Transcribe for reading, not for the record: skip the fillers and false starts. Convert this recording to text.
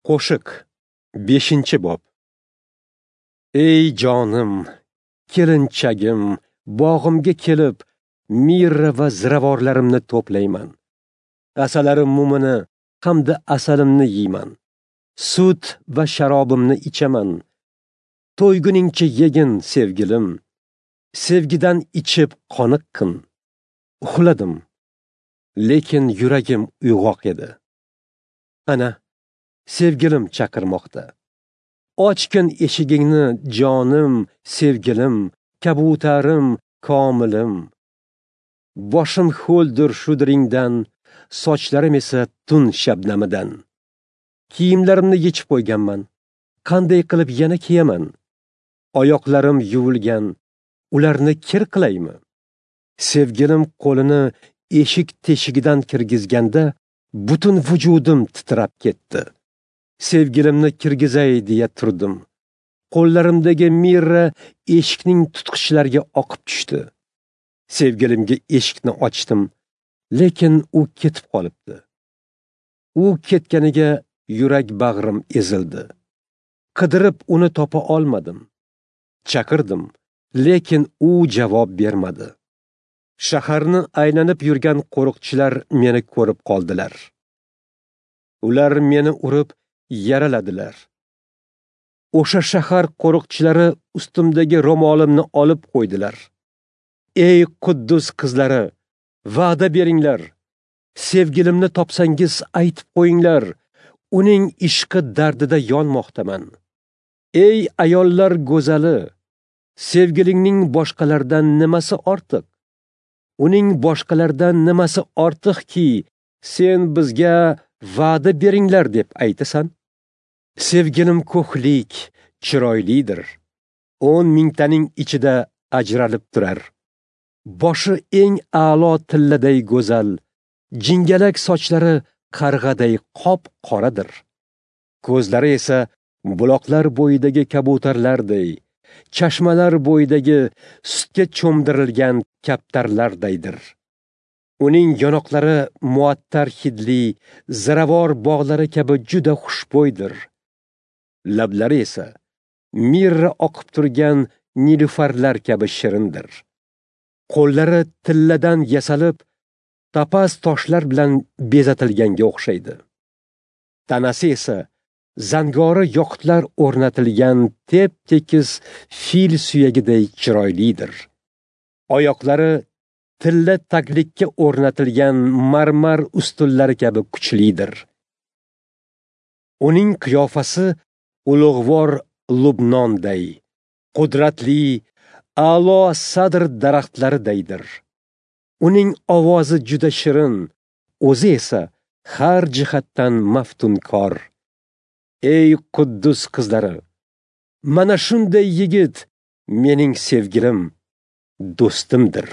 Qo'shiq 5-bob. Ey jonim, kelinchagim, bog'imga kelib, mirra va ziravorlarimni to'playman. Asalarim mumini hamda asalimni yeyman. Sut va sharobimni ichaman. To'yguningcha yegin, sevgilim. Sevgidan ichib qoniqqin. Uxladim, lekin yuragim uyg'oq edi. Ana, sevgilim chaqirmoqda. Ochgin eshigingni, jonim, sevgilim, kabutarim, komilim. Boshim ho'ldir shudringdan, sochlarim esa tun shabnamidan. Kiyimlarimni yechib qo'yganman. Qanday qilib yana kiyaman? Oyoqlarim yuvilgan, ularni kir qilaymi? Sevgilim qo'lini eshik teshigidan kirgizganda butun vujudim titrab ketdi. Sevgilimni kirgizay deya turdim. Qo'llarimdagi mirra eshikning tutqichlariga oqib tushdi. Sevgilimga eshikni ochdim, lekin u ketib qolibdi. U ketganiga yurak bag'rim ezildi. Qidirib uni topa olmadim. Chaqirdim, lekin u javob bermadi. Shaharni aylanib yurgan qo'riqchilar meni ko'rib qoldilar. Ular meni urib yaraladilar. O'sha shahar qo'riqchilari ustimdagi ro'molimni olib qo'ydilar. Ey Quddus qizlari, va'da beringlar. Sevgilimni topsangiz aytib qo'yinglar. Uning ishqi dardida yonmoqdaman. Ey ayollar go'zali, sevgilingning boshqalardan nimasi ortiq? Uning boshqalardan nimasi ortiqki, sen bizga va'da beringlar deb aytasan? Sevgilim ko'hlik, chiroylidir. 10 mingtaning ichida ajralib turar. Boshi eng a'lo tilladay go'zal, jingalak sochlari qarg'aday qop-qoradir. Ko'zlari esa buloqlar bo'yidagi kabutarlarday, chashmalar bo'yidagi sutga cho'mdirilgan kaptarlardaydir. Uning yonoqlari muattar hidli, ziravor bog'lari kabi juda xushbo'ydir. Lablari esa mirra oqib turgan nilufarlar kabi shirindir. Qo'llari tilladan yasalib, topaz toshlar bilan bezatilganga o'xshaydi. Tanasi esa zangori yoqutlar o'rnatilgan tep-tekis fil suyagiday chiroylidir. Oyoqlari tilla taglikka o'rnatilgan marmar ustunlari kabi kuchlidir. Uning qiyofasi ulug'vor Lubnonday, qudratli a'lo sadr daraxtlaridaydir. Uning ovozi juda shirin, o'zi esa har jihatdan maftunkor. Ey Quddus qizlari, mana shunday yigit mening sevgilim, do'stimdir.